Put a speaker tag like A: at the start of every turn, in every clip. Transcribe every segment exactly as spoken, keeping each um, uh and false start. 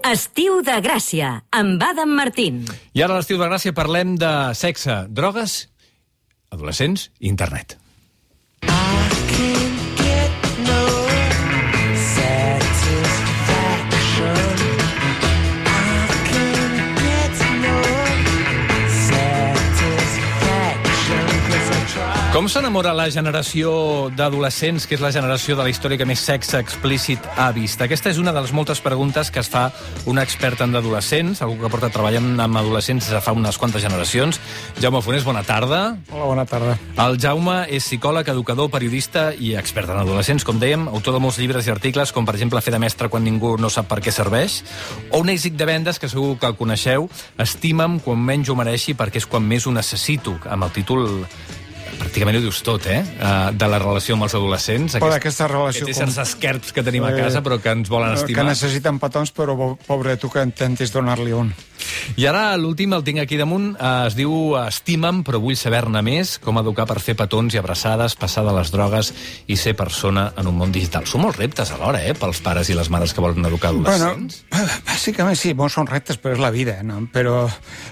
A: Estiu de Gràcia, amb Adam Martín.
B: I ara a l'Estiu de Gràcia parlem de sexe, drogues, adolescents i internet. Com s'enamora la generació d'adolescents, que és la generació de la història que més sexe explícit ha vist? Aquesta és una de les moltes preguntes que es fa una experta en adolescents, algú que porta treballant amb adolescents des de fa unes quantes generacions. Jaume Fonés, bona tarda.
C: Hola, bona tarda.
B: El Jaume és psicòleg, educador, periodista i expert en adolescents, com dèiem, autor de molts llibres i articles, com per exemple Fer de mestre quan ningú no sap per què serveix, o un èxit de vendes que segur que el coneixeu, Estima'm quan menys ho mereixi perquè és quan més ho necessito, amb el títol... pràcticament ho dius tot, eh? De la relació amb els adolescents.
C: Però aquesta relació...
B: Aquests éssers esquerps que tenim a casa, però que ens volen estimar.
C: Que necessiten petons, però pobre tu que intentis donar-li un.
B: I ara l'últim el tinc aquí damunt. Es diu Estima'm, però vull saber-ne més. Com educar per fer petons i abraçades, passar de les drogues i ser persona en un món digital. Són molts reptes alhora, eh? Pels pares i les mares que volen educar adolescents.
C: Bueno, bàsicament sí, bons són reptes, però és la vida, no? Però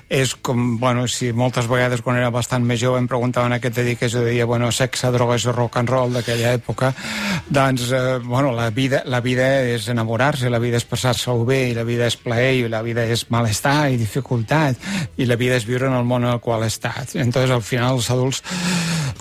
C: és com, bueno, si moltes vegades quan era bastant més jove em preguntaven a què te dediques, jo deia, bueno, sexe, drogues i rock and roll d'aquella època, doncs, eh, bueno, la vida, la vida és enamorar-se, la vida és passar-se-ho bé, i la vida és plaer, i la vida és malestar i dificultat, i la vida és viure en el món en el qual estàs. Entonces, al final, els adults,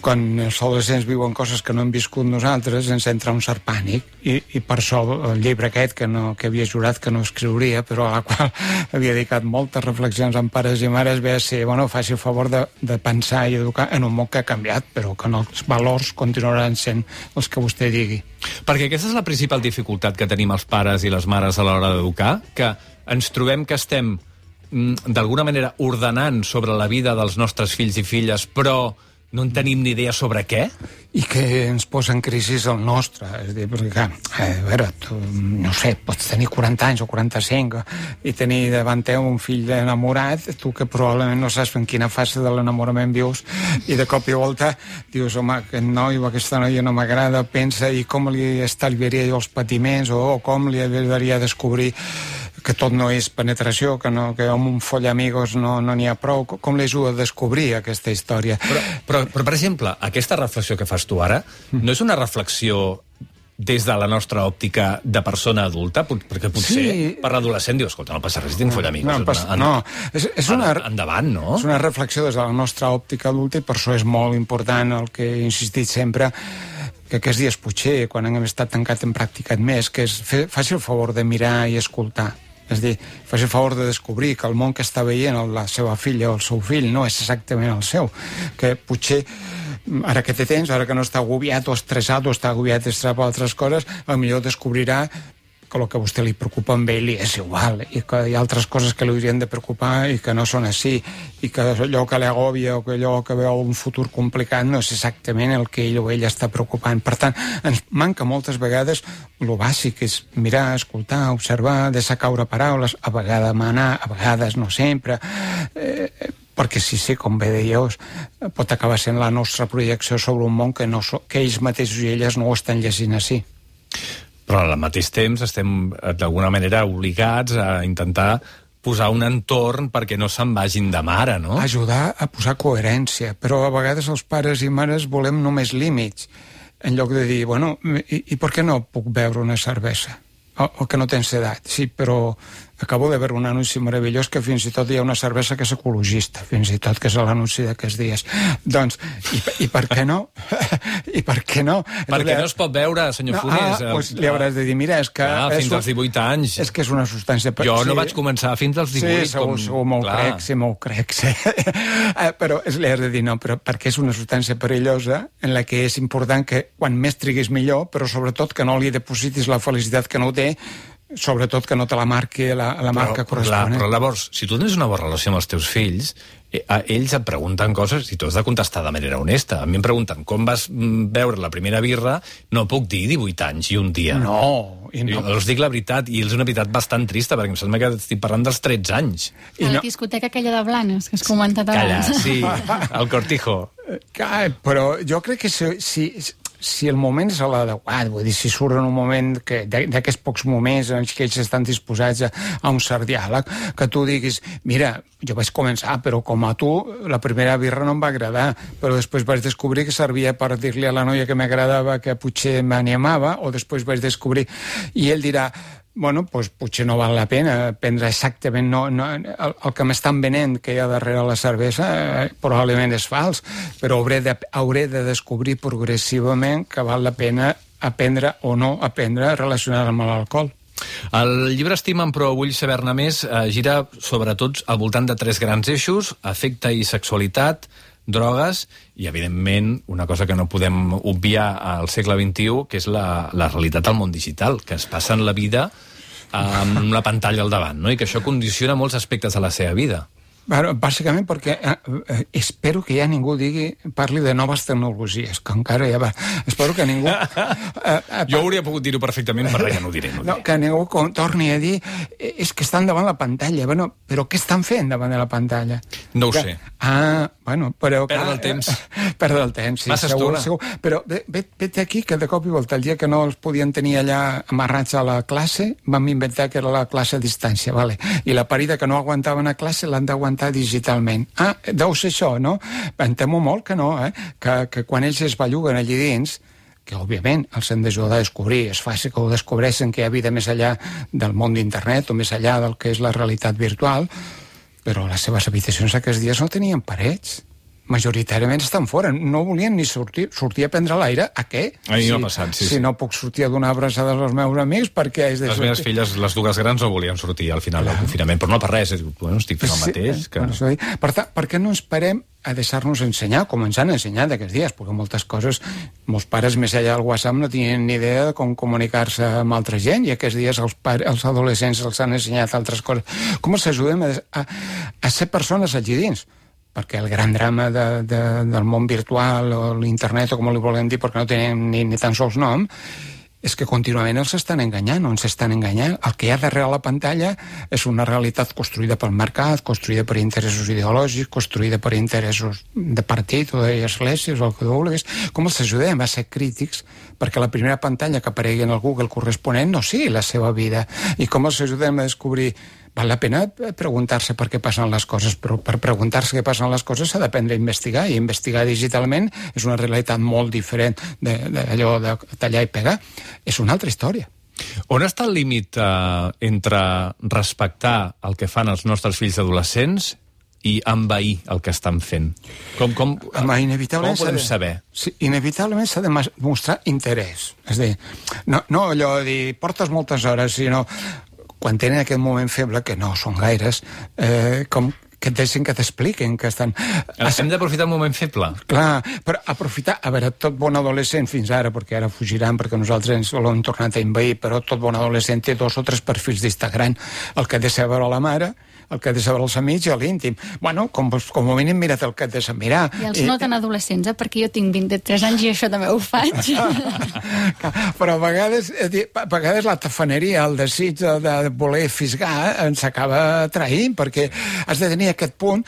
C: quan els adolescents viuen coses que no hem viscut nosaltres, ens entra un cert pànic, i, i per això el llibre aquest, que, no, que havia jurat que no escriuria, però a la qual havia dedicat moltes reflexions amb pares i mares, ve a ser, bueno, faci el favor de, de pensar i educar en un món que ha canviat, però que els valors continuaran sent els que vostè digui.
B: Perquè aquesta és la principal dificultat que tenim els pares i les mares a l'hora d'educar, que ens trobem que estem d'alguna manera ordenant sobre la vida dels nostres fills i filles, però no en tenim ni idea sobre què?
C: I que ens posa en crisi el nostre. És a dir, perquè, a veure, tu, no sé, pots tenir quaranta anys o quaranta-cinc i tenir davant teu un fill enamorat, tu que probablement no saps en quina fase de l'enamorament vius, i de cop i volta dius, home, aquest noi o aquesta noia no m'agrada, pensa, i com li estalviaria jo els patiments, o, o com li ajudaria a descobrir que tot no és penetració, que, no, que amb un foll amigos no n'hi no ha prou. Com li ajuda a descobrir aquesta història?
B: Però, però, però, per exemple, aquesta reflexió que fas tu ara no és una reflexió des de la nostra òptica de persona adulta? Perquè potser sí. Per l'adolescent dius, escolta, no passa res, tinc foll amigos.
C: No, pas,
B: en,
C: no. És, és una,
B: endavant, no?
C: És una reflexió des de la nostra òptica adulta, i per això és molt important el que he insistit sempre, que aquests dies potser, quan hem estat tancat, hem practicat més, que és fer, faci el favor de mirar i escoltar. És a dir, faci el favor de descobrir que el món que està veient la seva filla o el seu fill no és exactament el seu, que potser ara que té temps, ara que no està agobiat o estressat o està agobiat estressat per altres coses, potser descobrirà que el que a vostè li preocupa amb ell és igual, i que hi ha altres coses que li haurien de preocupar i que no són així, i que allò que l'agòbia o que allò que veu un futur complicat no és exactament el que ell o ella està preocupant. Per tant, ens manca moltes vegades el bàsic, és mirar, escoltar, observar, deixar caure paraules, a vegades manar, a vegades no sempre, eh, perquè sí, sí, com bé dèieu, pot acabar sent la nostra projecció sobre un món que, no, que ells mateixos i elles no ho estan llegint així.
B: Però al mateix temps estem d'alguna manera obligats a intentar posar un entorn perquè no se'n vagin de mare, no?
C: Ajudar a posar coherència, però a vegades els pares i mares volem només límits, en lloc de dir, bueno, i, i per què no puc beure una cervesa? O, o que no tens edat? Sí, però acabo de veure un anunci meravellós que fins i tot hi ha una cervesa que és ecologista, fins i tot, que és l'anunci d'aquests dies. Doncs, i, i per què no? I per què no?
B: Perquè no es pot veure, senyor
C: no,
B: Fonés.
C: Ah, doncs li hauràs de dir, mira, és que...
B: Ah, fins als divuit anys.
C: És que és una substància...
B: Jo no sí. vaig començar fins als divuit.
C: Sí, segur,
B: com...
C: segur, m'ho crec, sí, m'ho crec, sí. Però li has de dir, no, però perquè és una substància perillosa en la que és important que quan més triguis millor, però sobretot que no li depositis la felicitat que no ho té, sobretot que no te la marqui la, la marca però, corresponent.
B: Però llavors, si tu tens una bona relació amb els teus fills, eh, ells et pregunten coses i tu has de contestar de manera honesta. A mi em pregunten com vas veure la primera birra, no puc dir divuit anys i un dia.
C: No, i no.
B: Jo els dic la veritat, i és una veritat bastant trista, perquè em sembla que estic parlant dels tretze anys.
D: I la no... discoteca aquella de Blanes, que has comentat abans.
B: Calla, sí, el Cortijo.
C: Però jo crec que si, si, si el moment és l'adequat, vull dir, si surt en un moment que d'aquests pocs moments en què ells estan disposats a, a un cert diàleg, que tu diguis, mira, jo vaig començar, però com a tu, la primera birra no em va agradar, però després vaig descobrir que servia per dir-li a la noia que m'agradava que potser m'animava, o després vaig descobrir... I ell dirà, bueno, pues, potser no val la pena prendre exactament no, no, el, el que m'estan venent que hi ha darrere la cervesa eh, probablement és fals, però hauré de, hauré de descobrir progressivament que val la pena aprendre o no aprendre a relacionar amb l'alcohol.
B: El llibre Estima'm però vull saber-ne més eh, gira sobretot al voltant de tres grans eixos: afecte i sexualitat, drogues i, evidentment, una cosa que no podem obviar al segle vint-i-u, que és la, la realitat del món digital, que es passen la vida amb la pantalla al davant, no? I que això condiciona molts aspectes de la seva vida.
C: Bueno, bàsicament perquè eh, espero que ja ningú digui, parli de noves tecnologies, que encara ja va... Espero que ningú... Eh, eh,
B: jo hauria pogut dir-ho perfectament, però ja no ho diré. No,
C: no, que ningú torni a dir eh, és que estan davant la pantalla. Bueno, però què estan fent davant de la pantalla?
B: No ho
C: que,
B: sé.
C: Ah, bueno, però...
B: Perdre el temps.
C: Eh, perdre el temps, sí,
B: Massa
C: segur,
B: estona.
C: segur. Però vet aquí que de cop i volta, el dia que no els podien tenir allà amarrats a la classe, vam inventar que era la classe a distància, vale? I la parida que no aguantaven a classe l'han d'aguantar digitalment. Ah, deu ser això, no? Em temo molt que no, eh? Que, que quan ells es belluguen allí dins, que òbviament els hem d'ajudar a descobrir, és fàcil que ho descobreixen, que hi ha vida més enllà del món d'internet o més enllà del que és la realitat virtual, però les seves habitacions aquests dies no tenien parets. Majoritàriament estan fora, no volien ni sortir, sortir a prendre l'aire, a què?
B: A mi
C: si,
B: m'ha passat, sí,
C: si
B: sí.
C: no puc sortir a donar abraçades als meus amics, perquè és de
B: Les
C: sortir...
B: meves filles, les dues grans, no volien sortir al final del confinament, però no per res, bueno, estic fent el mateix. Que...
C: Sí, per tant, per què no ens parem a deixar-nos ensenyar, com ens han ensenyat aquests dies? Perquè moltes coses, molts pares més enllà del WhatsApp no tenien ni idea de com comunicar-se amb altra gent, i aquests dies els, pare, els adolescents els han ensenyat altres coses. Com els ajudem a, a, a ser persones allí dins? Perquè el gran drama de, de, del món virtual o l'internet, o com li volem dir, perquè no tenen ni, ni tan sols nom, és que contínuament els estan enganyant, o ens estan enganyant. El que hi ha darrere la pantalla és una realitat construïda pel mercat, construïda per interessos ideològics, construïda per interessos de partit o d'esglésies o el que vulguis. Com els ajudem a ser crítics perquè la primera pantalla que aparegui en el Google corresponent no sigui la seva vida? I com els ajudem a descobrir... Val la pena preguntar-se per què passen les coses, però per preguntar-se què passen les coses s'ha d'aprendre a investigar, i investigar digitalment és una realitat molt diferent d'allò de, de tallar i pegar. És una altra història.
B: On està el límit eh, entre respectar el que fan els nostres fills adolescents i envair el que estan fent? Com, com,
C: Home, inevitablement
B: com ho podem
C: de,
B: saber?
C: Sí, inevitablement s'ha de mostrar interès. És a dir, no, no allò de dir portes moltes hores, sinó quan tenen aquest moment feble, que no són gaires, eh, com que et deixin que t'expliquin que estan...
B: Hem d'aprofitar el moment feble.
C: Clar, però aprofitar... A veure, tot bon adolescent fins ara, perquè ara fugiran perquè nosaltres ens l'hem tornat a envair, però tot bon adolescent té dos o tres perfils d'Instagram. El que ha de saber la mare, el que ha de saber els amics i l'íntim. Bueno, com, com a mínim mira't el que et de saber mirar.
D: I els no tan adolescents, eh? Perquè jo tinc vint-i-tres anys i això també ho faig.
C: Però a vegades, a vegades la tafaneria, el desig de, de voler fisgar ens acaba traint, perquè has de tenir aquest punt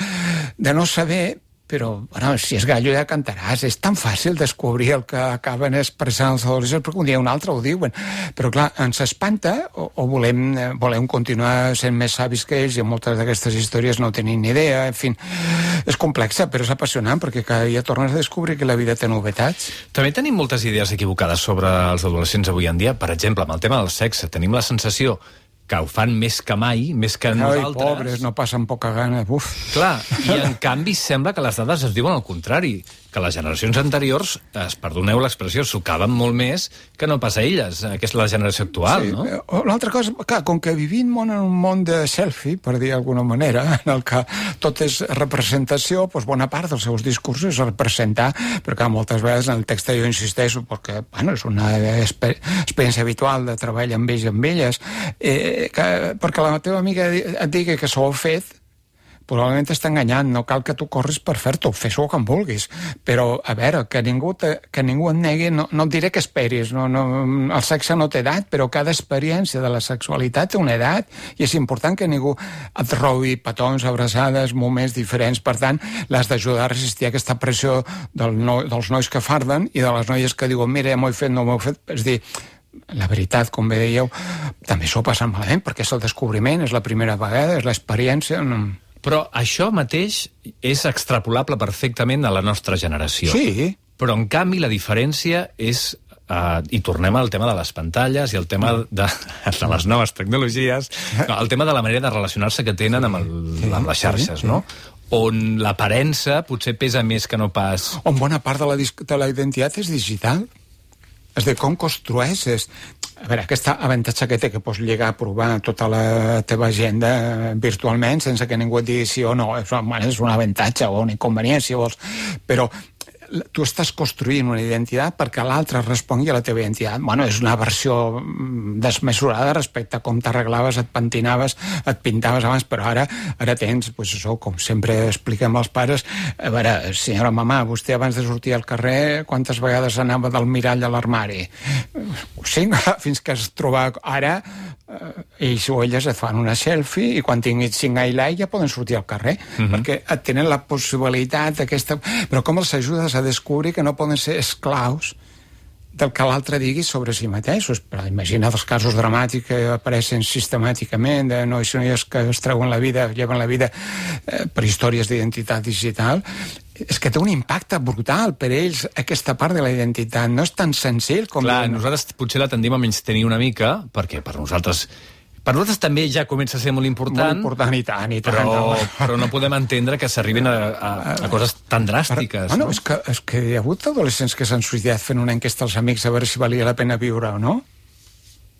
C: de no saber, però, bueno, si és gallo ja cantaràs. És tan fàcil descobrir el que acaben expressant els adolescents, perquè un dia o un altre ho diuen. Però, clar, ens espanta o, o volem, volem continuar sent més savis que ells, i moltes d'aquestes històries no tenim ni idea. En fi, és complexa, però és apassionant, perquè cada dia tornes a descobrir que la vida té novetats.
B: També tenim moltes idees equivocades sobre els adolescents avui en dia. Per exemple, amb el tema del sexe, tenim la sensació que ho fan més que mai, més que
C: Ai,
B: nosaltres.
C: pobres, no passen poca gana. Uf.
B: Clar, i en canvi sembla que les dades es diuen al contrari, que les generacions anteriors, es, perdoneu l'expressió, sucaven molt més que no pas a elles, que és la generació actual,
C: Sí,
B: no?
C: l'altra cosa, clar, com que vivim en un món de selfie, per dir d'alguna manera, en el que tot és representació, doncs bona part dels seus discursos és representar, perquè moltes vegades en el text jo insisteixo, perquè bueno, és una exper experiència habitual de treball amb ells i amb elles, eh, que, perquè la teva amiga et digui que s'ho ha fet, probablement t'està enganyant, no cal que tu corris per fer-t'ho, fes-ho com vulguis, però, a veure, que ningú, te, que ningú et negui, no, no et diré que esperis, no, no, el sexe no té edat, però cada experiència de la sexualitat té una edat, i és important que ningú et robi petons, abraçades, moments diferents, per tant, l'has d'ajudar a resistir aquesta pressió del no, dels nois que farden i de les noies que diuen, mira, ja m'ho he fet, no m'ho he fet, és dir, la veritat, com bé dèieu, també s'ho passa malament, perquè és el descobriment, és la primera vegada, és l'experiència... No...
B: Però això mateix és extrapolable perfectament a la nostra generació.
C: Sí.
B: Però, en canvi, la diferència és... Uh, i tornem al tema de les pantalles i el tema de, de les noves tecnologies, no, el tema de la manera de relacionar-se que tenen amb, el, sí, amb les xarxes, sí, sí. no? On l'aparença potser pesa més que no pas...
C: On bona part de la, de la identitat és digital. És de com construeixes. A veure, aquesta avantatge que té, que pots lligar a provar tota la teva agenda virtualment sense que ningú et digui sí o no, és, és un avantatge o un inconvenient, si vols, però tu estàs construint una identitat perquè l'altre respongui a la teva identitat. Bueno, és una versió desmesurada respecte a com t'arreglaves, et pentinaves, et pintaves abans, però ara ara tens, pues això, com sempre expliquem als pares, a veure, senyora mamà, vostè abans de sortir al carrer, quantes vegades anava del mirall a l'armari? Cinc, fins que es troba ara, ells o elles et fan una selfie i quan tinguis cinc highlights ja poden sortir al carrer, uh-huh. perquè et tenen la possibilitat aquesta... Però com els ajudes a descobrir que no poden ser esclaus del que l'altre digui sobre si mateixos? Però imagina els casos dramàtics que apareixen sistemàticament de nois i noies que es treuen la vida, lleven la vida eh, per històries d'identitat digital. És que té un impacte brutal per ells, aquesta part de la identitat. No és tan senzill com...
B: Clar, nosaltres potser la tendim a menystenir una mica, perquè per nosaltres... Per nosaltres també ja comença a ser molt important.
C: Molt important, i tant, i tant.
B: Però, però no podem entendre que s'arribin a, a, a coses tan dràstiques.
C: Però, bueno,
B: no?
C: és que, és que hi ha hagut adolescents que s'han suïcidat fent una enquesta als amics a veure si valia la pena viure o no.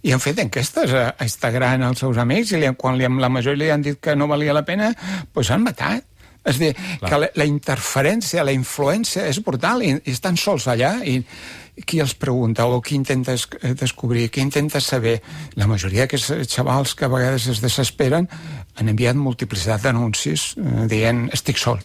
C: I han fet enquestes a Instagram als seus amics i li, quan li, la majoria li han dit que no valia la pena, doncs s'han matat. És dir, clar, que la, la interferència, la influència és brutal i, i estan sols allà i qui els pregunta o qui intenta es, descobrir, qui intenta saber. La majoria d'aquests xavals que a vegades es desesperen han enviat multiplicitat d'anuncis eh, dient estic sol.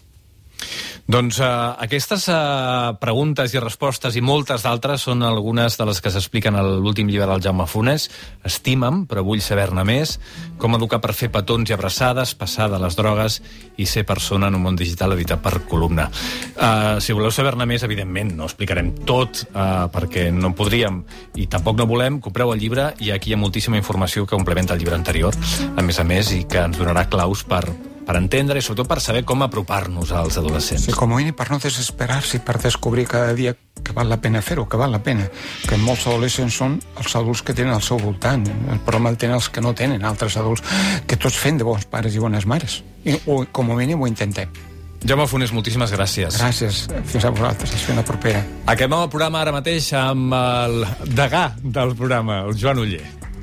B: Doncs uh, aquestes uh, preguntes i respostes i moltes d'altres són algunes de les que s'expliquen a l'últim llibre del Jaume Funes. Estima'm, però vull saber-ne més. Com educar per fer petons i abraçades, passar de les drogues i ser persona en un món digital, editat per Columna. Uh, si voleu saber-ne més, evidentment, no explicarem tot, uh, perquè no podríem i tampoc no volem. Compreu el llibre i aquí hi ha moltíssima informació que complementa el llibre anterior, a més a més, i que ens donarà claus per... per entendre i sobretot per saber com apropar-nos als adolescents.
C: Sí, com a mínim per no desesperar-se, per descobrir cada dia que val la pena fer-ho, que val la pena. Que molts adolescents són els adults que tenen al seu voltant. El problema el tenen els que no tenen, altres adults, que tots fem de bons pares i bones mares. I, o, com a mínim ho intentem.
B: Jaume Funes, moltíssimes gràcies.
C: Gràcies. Fins a vosaltres. Fins la propera.
B: Acabem el programa ara mateix amb el degà del programa, el Joan Oller.